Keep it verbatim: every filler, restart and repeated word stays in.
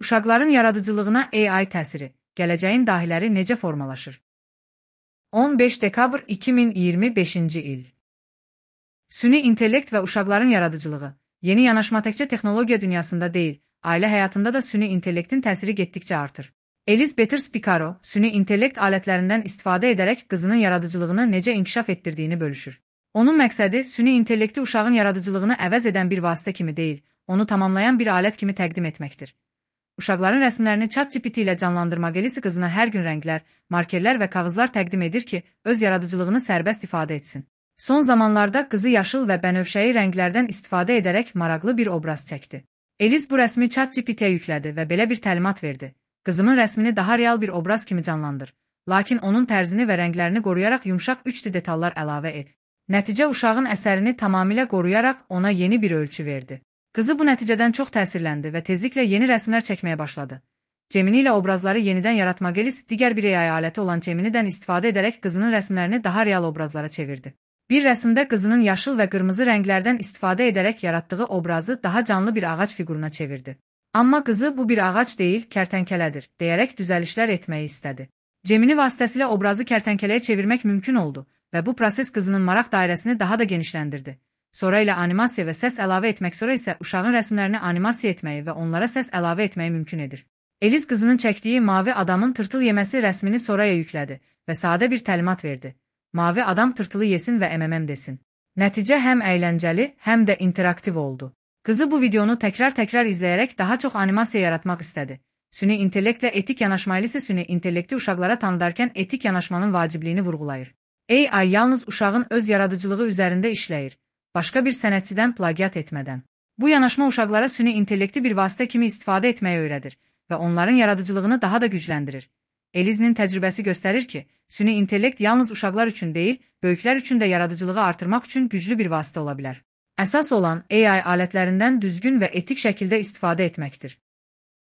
Uşaqların yaradıcılığına A I təsiri, gələcəyin dahiləri necə formalaşır? on beş dekabr iki min iyirmi beşinci il. Süni intellekt və uşaqların yaradıcılığı, yeni yanaşma təkcə texnologiya dünyasında deyil, ailə həyatında da süni intellektin təsiri getdikcə artır. Eliz Peters-Picaro, süni intellekt alətlərindən istifadə edərək qızının yaradıcılığını necə inkişaf etdirdiyini bölüşür. Onun məqsədi süni intellekti uşağın yaradıcılığını əvəz edən bir vasitə kimi deyil, onu tamamlayan bir alət kimi təqdim etməkdir. Uşaqların rəsmlərini ChatGPT ilə canlandırmaq elisi qızına hər gün rənglər, markerlər və kağızlar təqdim edir ki, öz yaradıcılığını sərbəst ifadə etsin. Son zamanlarda qızı yaşıl və bənövşəyi rənglərdən istifadə edərək maraqlı bir obraz çəkdi. Eliz bu rəsmi ChatGPT-yə yüklədi və belə bir təlimat verdi. Qızımın rəsmini daha real bir obraz kimi canlandır, lakin onun tərzini və rənglərini qoruyaraq yumşaq üç D detallar əlavə et. Nəticə uşağın əsərini tamamilə qoruyaraq ona yeni bir ölçü verdi. Qızı bu nəticədən çox təsirləndi və tezliklə yeni rəsmlər çəkməyə başladı. Gemini ilə obrazları yenidən yaratmaq elis digər bir A I aləti olan Geminidən istifadə edərək qızının rəsmlərini daha real obrazlara çevirdi. Bir rəsmdə qızının yaşıl və qırmızı rənglərdən istifadə edərək yaratdığı obrazı daha canlı bir ağac fiquruna çevirdi. Amma qızı bu bir ağac deyil, kərtənkələdir, deyərək düzəlişlər etməyi istədi. Gemini vasitəsilə obrazı kərtənkələyə çevirmək mümkün oldu və bu proses qızının maraq dairəsini daha da genişləndirdi. Sonra ilə animasiya və səs əlavə etmək sonra isə uşağın rəsmlərini animasiya etməyi və onlara səs əlavə etməyi mümkün edir. Eliz qızının çəkdiyi mavi adamın tırtıl yeməsi rəsmini sonraya yüklədi və sadə bir təlimat verdi. Mavi adam tırtılı yesin və əməməm desin. Nəticə həm əyləncəli, həm də interaktiv oldu. Qızı bu videonu təkrar-təkrar izləyərək daha çox animasiya yaratmaq istədi. Süni intellektlə etik yanaşmayla isə süni intellekti uşaqlara tanıdarkən etik yanaşmanın vacibliyini vurğulayır. A I yalnız uşağın öz yaradıcılığı üzərində işləyir, başqa bir sənətçidən plagiat etmədən. Bu yanaşma uşaqlara süni intellekti bir vasitə kimi istifadə etməyi öyrədir və onların yaradıcılığını daha da gücləndirir. Eliz'nin təcrübəsi göstərir ki, süni intellekt yalnız uşaqlar üçün deyil, böyüklər üçün də yaradıcılığı artırmaq üçün güclü bir vasitə ola bilər. Əsas olan A I alətlərindən düzgün və etik şəkildə istifadə etməkdir.